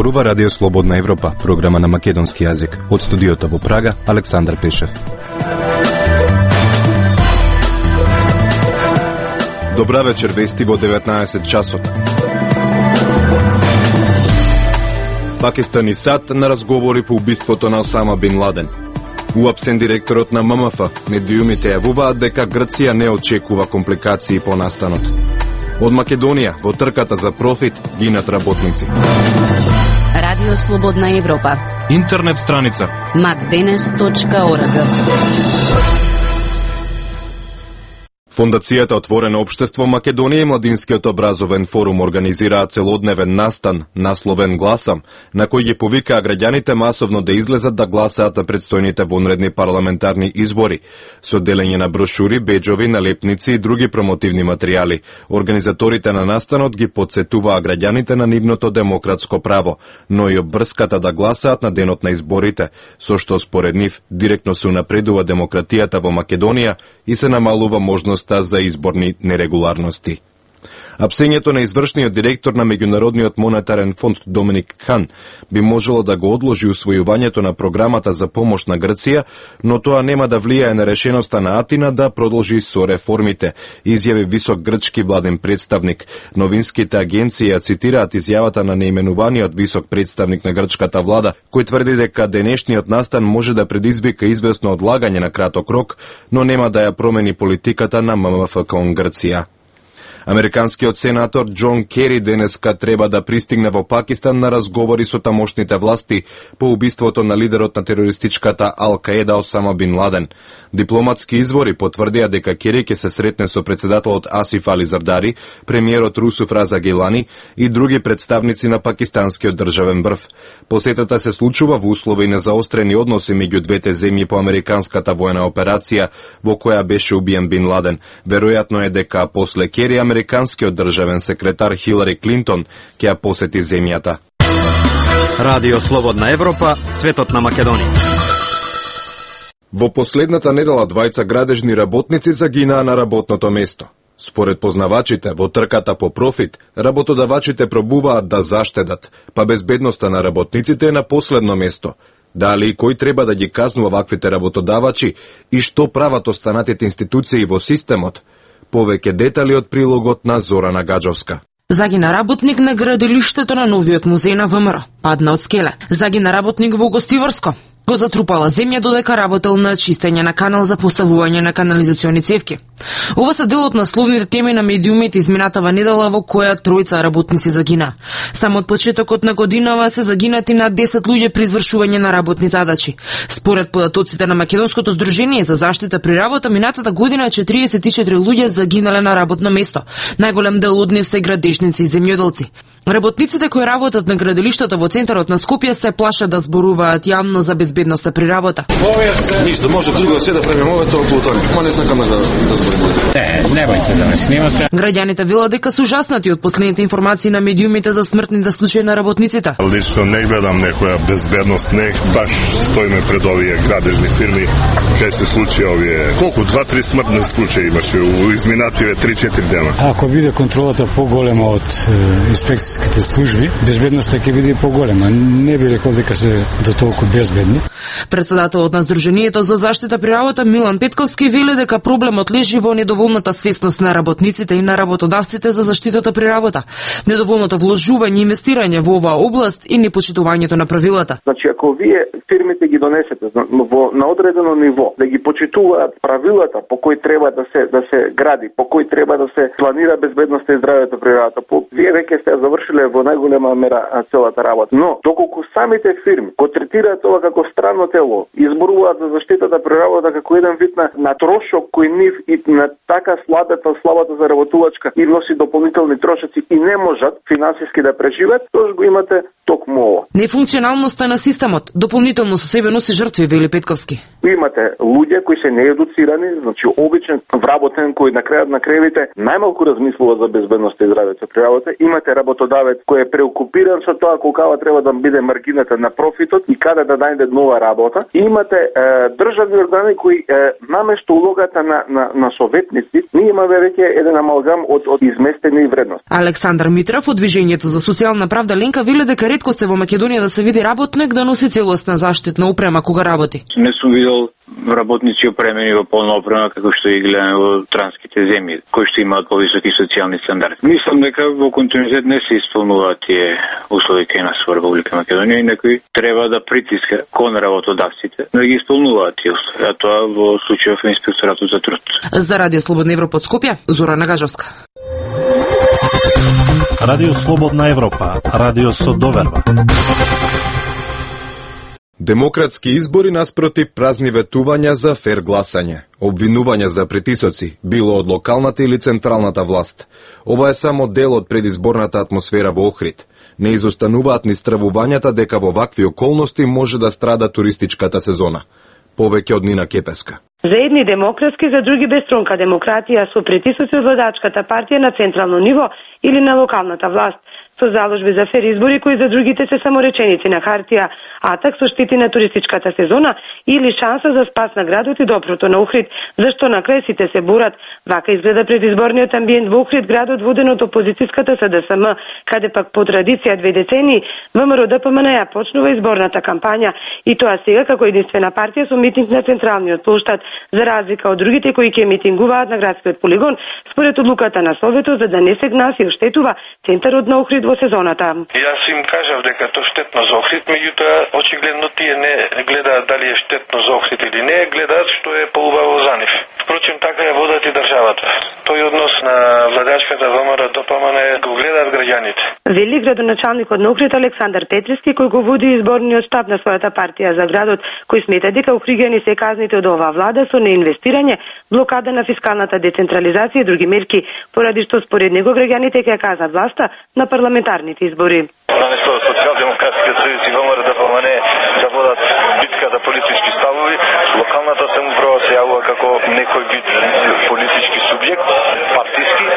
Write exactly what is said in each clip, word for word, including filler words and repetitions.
зборува Радио Слободна Европа, програма на македонски јазик. Од студиото во Прага, Александар Пешев. Добра вечер, вести во деветнаесет часот. Пакистан и САД на разговори по убиството на Осама бин Ладен. Уапсен директорот на М М Ф, медиумите јавуваат дека Грција не очекува компликации по настанот. Од Македонија, во трката за профит, гинат работници. Радио Слободна Европа. Интернет страница макденес точка орг. Фондацијата Отворено општество Македонија и Младинскиот образовен форум организираат целодневен настан, насловен Гласам, на кој ги повикаа граѓаните масовно да излезат да гласаат на предстојните вонредни парламентарни избори, со делење на брошури, беџови, налепници и други промотивни материјали. Организаторите на настанот ги потсетуваа граѓаните на нивното демократско право, но и обврската да гласаат на денот на изборите, со што според нив директно се унапредува демократијата во Македонија и се намалува можност за изборни нерегуларности. Апсењето на извршниот директор на Меѓународниот монетарен фонд Доминик Хан би можело да го одложи усвојувањето на програмата за помош на Грција, но тоа нема да влијае на решеноста на Атина да продолжи со реформите, изјави висок грчки владен представник. Новинските агенции ја цитираат изјавата на неименуваниот висок представник на грчката влада, кој тврди дека денешниот настан може да предизвика известно одлагање на краток рок, но нема да ја промени политиката на М М Ф кон Грција. Американскиот сенатор Џон Кери денеска треба да пристигне во Пакистан на разговори со тамошните власти по убиството на лидерот на терористичката Ал-Каеда Осама бин Ладен. Дипломатски извори потврдија дека Кери ќе се сретне со председателот Асиф Али Зардари, премиерот Русуф Раза Гилани и други представници на пакистанскиот државен врв. Посетата се случува во услови на заострени односи меѓу двете земји по американската воена операција во која беше убиен бин Ладен. Веројатно е дека после Кери американскиот државен секретар Хилари Клинтон ќе ја посети земјата. Радио Слободна Европа, светот на Македонија. Во последната недела двајца градежни работници загинаа на работното место. Според познавачите, во трката по профит, работодавачите пробуваат да заштедат, па безбедноста на работниците е на последно место. Дали и кој треба да ги казнува ваквите работодавачи и што прават останатите институции во системот? Повеќе детали од прилогот на Зорана Гаджовска. Загина работник на градилиштето на новиот музеј на Вэ М Р. Падна од скеле. Загина работник во Гостиварско. Го затрупала земја додека работел на чистење на канал за поставување на канализациони цевки. Ова се дел од насловните теми на медиумите изминатава недела во која тројца работници загина. Само од почетокот на годинава се загинати над десет луѓе при извршување на работни задачи. Според податоците на Македонското здружение за заштита при работа, минатата година четириесет и четири луѓе загинале на работно место. Најголем дел од нив се градежници и земјоделци. Работниците кои работат на градилиштето во центарот на Скопје се плашат да зборуваат јавно за безбедноста при работа. Ништо, може друго се да премем овето околу тоа. Ма не сакам да да зборам. Не, немојте да ме снимате. Граѓаните велат дека се ужаснати од последните информации на медиумите за смртните случаи на работниците. Лично не гледам некоја безбедност, не баш стоиме пред овие градежни фирми кај се случи овие. Колку два-три смртни случаи имаше у изминативе три-четири дена. Ако биде контролата поголема од инспекцијските служби, безбедноста ќе биде поголема. Не би рекол дека се до толку безбедни. Председателот на Здруженијето за заштита при работа Милан Петковски вели дека проблемот лежи во недоволната свесност на работниците и на работодавците за заштитата при работа, недоволното вложување и инвестирање во оваа област и непочитувањето на правилата. Значи, ако вие фирмите ги донесете во на одредено ниво, да ги почитуваат правилата по кои треба да се да се гради, по кои треба да се планира безбедноста и здравјето при работа, по вие веќе сте завршиле во најголема мера целата работа. Но доколку самите фирми го третираат ова како странно тело, изборуваат за заштитата при работа како еден вид на, на трошок кој нив и на така слабата, слабата заработувачка и носи дополнителни трошоци и не можат финансиски да преживеат, тоа го имате токму ова. Нефункционалноста на системот, дополнителни действително со себе носи жртви, вели Петковски. Имате луѓе кои се неедуцирани, значи обичен вработен кој на крајот на кревите најмалку размислува за безбедноста и здравето при работа. Имате работодавец кој е преокупиран со тоа колкава треба да биде маргината на профитот и каде да најде нова работа. И имате е, државни органи кои е, наместо улогата на, на, на советници, ние имаме веќе еден амалгам од, од изместени вредности. Александар Митров од Движењето за социјална правда Ленка вели дека ретко сте во Македонија да се види работник да носи целосна заштитна опрема кога работи. Не сум видел работници опремени во полна опрема како што и гледаме во транските земји, кои што имаат повисоки социјални стандарди. Мислам дека во континуитет не се исполнуваат тие услови кај нас во Република Македонија и некој треба да притиска кон работодавците да ги исполнуваат тие услови, а тоа во случајов на Инспекторатот за труд. За Радио Слободна Европа од Скопје, Зора Нагажовска. Радио Слободна Европа, радио со доверба. Демократски избори наспроти празни ветувања за фер гласање, обвинувања за притисоци, било од локалната или централната власт. Ова е само дел од предизборната атмосфера во Охрид. Не изостануваат ни стравувањата дека во вакви околности може да страда туристичката сезона. Повеќе од Нина Кепеска. За едни демократски, за други безстронка демократија со притисоци од владачката партија на централно ниво или на локалната власт, со заложби за фер избори кои за другите се само реченици на хартија, атак со штити на туристичката сезона или шанса за спас на градот и доброто на Охрид, зашто на крај сите се бурат. Вака изгледа предизборниот амбиент во Охрид, градот воден од опозицијската С Д С М, каде пак по традиција две децении ВМРО Д П М Н ја почнува изборната кампања и тоа сега како единствена партија со митинг на централниот плоштад, за разлика од другите кои ќе митингуваат на градскиот полигон, според одлуката на Советот за да не се гнаси и оштетува центарот на Охрид во сезоната. Јас им кажав дека тоа штетно за Охрид, меѓутоа очигледно тие не гледаат дали е штетно за Охрид или не, гледаат што е поубаво за нив. Впрочем, така ја водат и државата. Тој однос на владачката ВМРО Д П М Н го гледаат граѓаните. Вели градоначалникот на Охрид Александар Петриски, кој го води изборниот штаб на својата партија за градот, кој смета дека охриѓани се казните од оваа влада со неинвестирање, блокада на фискалната децентрализација и други мерки, поради што според него граѓаните ќе кажат власта на парламентарните избори. Наместо социјалдемократските сојузи и ВМРО Д П М Н да водат битка за политички ставови, локалната самоуправа се јавува како некој вид политички субјект, партиски,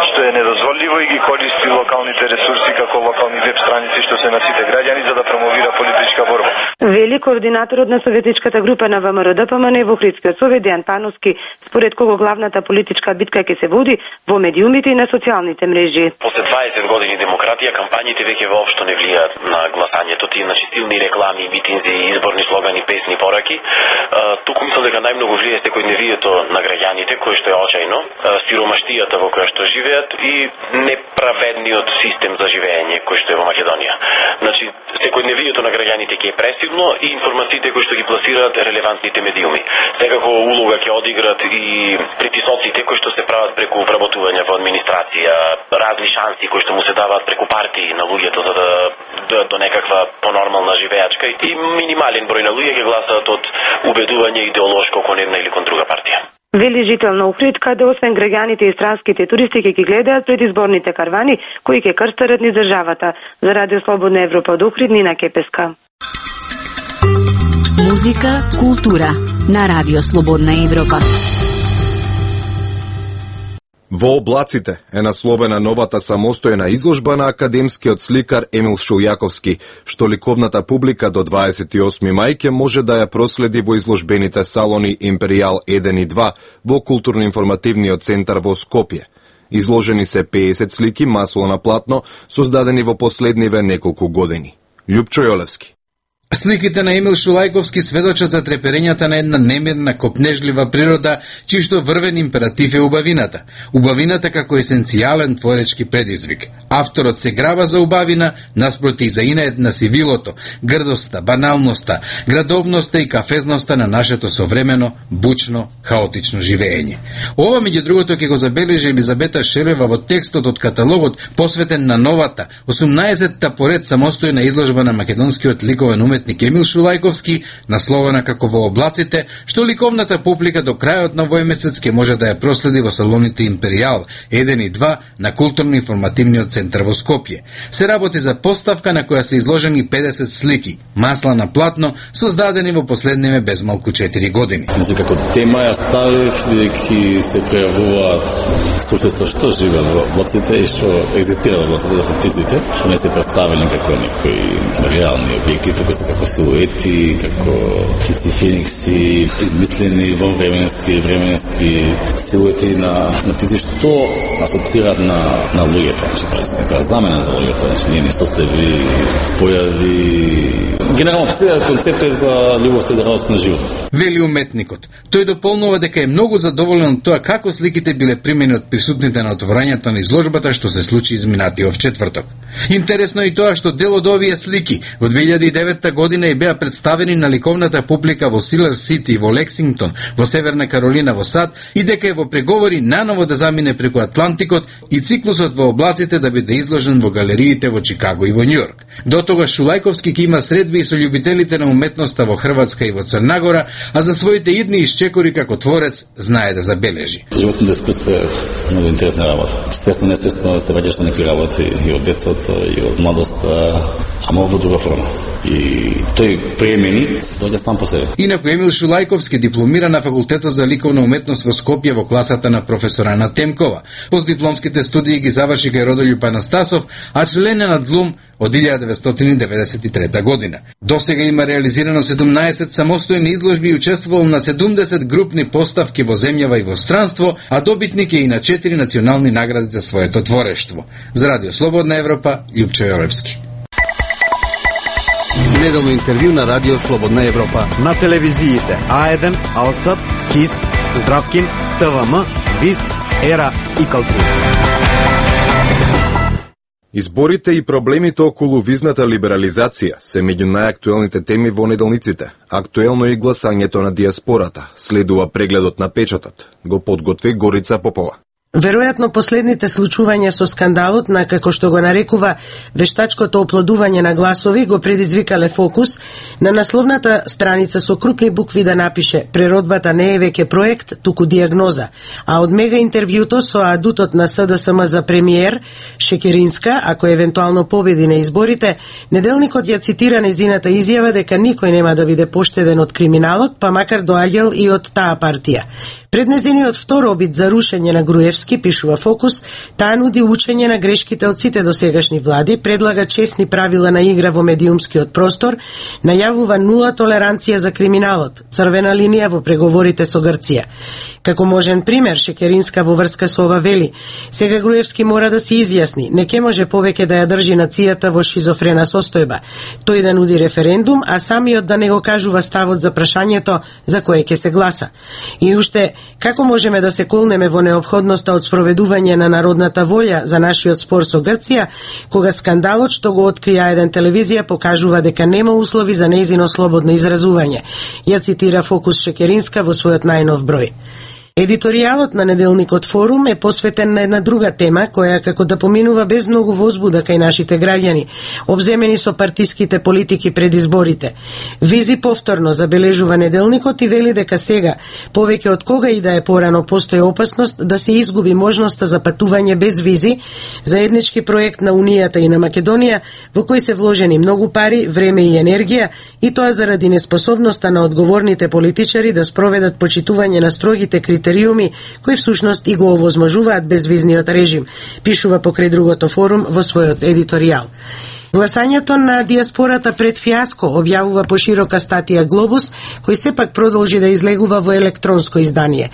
што е недозволиво и ги користи локалните ресурси како локални веб страници што се на сите граѓани за да промовира политичка борба. Вели координаторот на советичката група на ВМРО Д П М Н во Охридскиот совет Дејан Пановски, според кого главната политичка битка ќе се води во медиумите и на социјалните мрежи. После дваесет години демократија, кампањите веќе воопшто не влијаат на гласањето, тие на стилни реклами, митинзи, изборни слогани, песни, пораки. Туку мислам дека најмногу влијае секојдневието на граѓаните, кој што е очајно, сиромаштијата во која што живеат и неправедниот систем за живење кој што е во Македонија. Значи, секојдневието на граѓаните ќе е пресилно и информациите кои што ги пласираат релевантните медиуми. Секако улога ќе одиграат и притисоците кои што се прават преку вработување во администрација, разни шанси кои што му се даваат преку партии на луѓето за да до, до некаква понормална живеачка и минимален број на луѓе ќе гласаат од убедување идеолошко кон една или кон друга партија. Вели жител на Охрид, каде освен граѓаните и странските туристи ќе ги гледаат предизборните карвани кои ќе крстарат низ државата. За Радио Слободна Европа од Охрид, Нина Кепеска. Музика, култура на Радио Слободна Европа. Во облаците е насловена новата самостојна изложба на академскиот сликар Емил Шулјаковски, што ликовната публика до дваесет и осми мај ќе може да ја проследи во изложбените салони Империјал еден и два во културно-информативниот центар во Скопје. Изложени се пеесет слики масло на платно, создадени во последниве неколку години. Љупчо Јолевски. Сликите на Емил Шулјаковски сведочат за треперењата на една немирна, копнежлива природа, чишто врвен императив е убавината. Убавината како есенцијален творечки предизвик. Авторот се грава за убавина, наспроти за инает на сивилото, грдоста, баналноста, градовноста и кафезноста на нашето современо, бучно, хаотично живење. Ова, меѓу другото, ќе го забележи Елизабета Шелева во текстот од каталогот посветен на новата, осумнаесетта поред самостојна изложба на македонскиот ликовен уметник уметник Емил Шулајковски, насловена како Во облаците, што ликовната публика до крајот на овој месец ќе може да ја проследи во салоните Империјал еден и два на културно-информативниот центар во Скопје. Се работи за поставка на која се изложени педесет слики, масла на платно, создадени во последниве безмалку четири години. Значи, како тема ја ставив, бидејќи се пројавуваат суштество што живеат во облаците и што екзистираат во облаците, да се птиците, што не се представени како некои реални објекти, туку се како силуети, како птици феникси, измислени вонвременски, временски силуети на, на птици што асоцираат на, на луѓето, значи, некоја замена за луѓето, значи, ние не состојби, појави... Генерално, целиот концепт е за љубовта и за радост на животот. Вели уметникот. Тој дополнува дека е многу задоволен од тоа како сликите биле примени од присутните на отворањето на изложбата што се случи изминатиот четврток. Интересно е и тоа што дел од овие слики во две илјади и девета година и беа представени на ликовната публика во Силер Сити, во Лексингтон, во Северна Каролина, во САД и дека е во преговори наново да замине преку Атлантикот и циклусот во облаците да биде изложен во галериите во Чикаго и во Њујорк. До тогаш Шулајковски ќе има средби и со љубителите на уметноста во Хрватска и во Црнагора, а за своите идни исчекори како творец знае да забележи. Животното искуство е многу интересна работа. Свесно несвесно се враќаш на некои работи и од детството и од младоста, ама во друга форма. И тој премени се доаѓа сам по себе. Инаку Емил Шулајковски дипломира на факултетот за ликовна уметност во Скопје во класата на професор Ана Темкова. Постдипломските студии ги заврши кај Родолјуп Анастасов, а член е на ДЛУМ од илјада деветстотини деведесет и трета година. До сега има реализирано седумнаесет самостојни изложби и учествувал на седумдесет групни поставки во земјава и во странство, а добитник е и на четири национални награди за своето творештво. За Радио Слободна Европа, Љупчо Јолевски. Неделно интервју на Радио Слободна Европа на телевизиите А еден, Алсат, КИС, Здравкин, ТВМ, ВИС, Ера и Калтур. Изборите и проблемите околу визната либерализација се меѓу најактуелните теми во неделниците. Актуелно е и гласањето на диаспората. Следува прегледот на печатот. Го подготви Горица Попова. Веројатно последните случувања со скандалот на, како што го нарекува, вештачкото оплодување на гласови го предизвикале фокус на насловната страница со крупни букви да напише "Преродбата не е веќе проект, туку диагноза", а од мега интервјуто со адутот на СДСМ за премиер Шекеринска, ако евентуално победи на изборите, неделникот ја цитира незината изјава дека никој нема да биде поштеден од криминалот, па макар доаѓал и од таа партија. Пред незиниот втор обид за рушење на Груевски, пишува Фокус, таа нуди учење на грешките од сите досегашни влади, предлага честни правила на игра во медиумскиот простор, најавува нула толеранција за криминалот, црвена линија во преговорите со Грција. Како можен пример, Шекеринска во врска со ова вели: сега Груевски мора да се изјасни, не ке може повеќе да ја држи нацијата во шизофрена состојба. Тој да нуди референдум, а самиот да не го кажува ставот за прашањето за кое ќе се гласа. И уште, како можеме да се колнеме во неопходноста од спроведување на народната волја за нашиот спор со Грција, кога скандалот што го откри А еден телевизија покажува дека нема услови за нејзино слободно изразување. Ја цитира Фокус Шекеринска во својот најнов број. Едиторијалот на неделникот Форум е посветен на една друга тема, која како да поминува без многу возбуда кај нашите граѓани, обземени со партиските политики пред изборите. Визи повторно забележува неделникот и вели дека сега, повеќе од кога и да е порано, постои опасност да се изгуби можноста за патување без визи, заеднички проект на Унијата и на Македонија, во кој се вложени многу пари, време и енергија, и тоа заради неспособноста на одговорните политичари да спроведат почитување на строгите критериуми кои всушност и го овозможуваат безвизниот режим, пишува покрај другото Форум во својот едиторијал. Гласањето на диаспората пред фиаско, објавува поширока статија Глобус, кој сепак продолжи да излегува во електронско издание.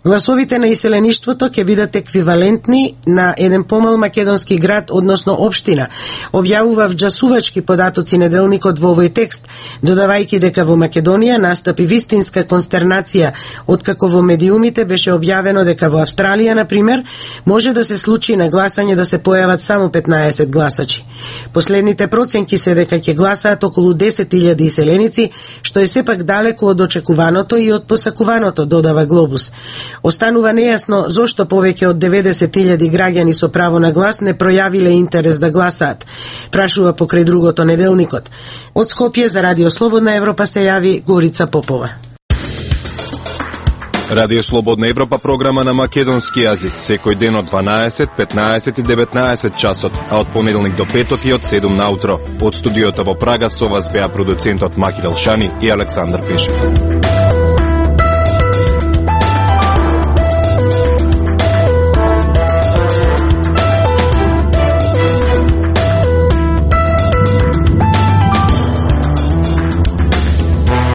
Гласовите на иселеништвото ќе бидат еквивалентни на еден помал македонски град, односно општина, објавува вџасувачки податоци неделникот во овој текст, додавајќи дека во Македонија настапи вистинска констернација, откако во медиумите беше објавено дека во Австралија, на пример, може да се случи на гласање да се појават само петнаесет гласачи. Послед Последните проценки се дека ќе гласаат околу десет илјади иселеници, што е сепак далеку од очекуваното и од посакуваното, додава Глобус. Останува нејасно зошто повеќе од деветдесет илјади граѓани со право на глас не пројавиле интерес да гласаат, прашува покрај другото неделникот. Од Скопје за Радио Слободна Европа се јави Горица Попова. Радио Слободна Европа програма на македонски јазик секој ден од дванаесет, петнаесет и деветнаесет часот, а од понеделник до петок и од седум наутро. Од студиото во Прага со вас беа продуцентот Макил Елшани и Александар Пешев.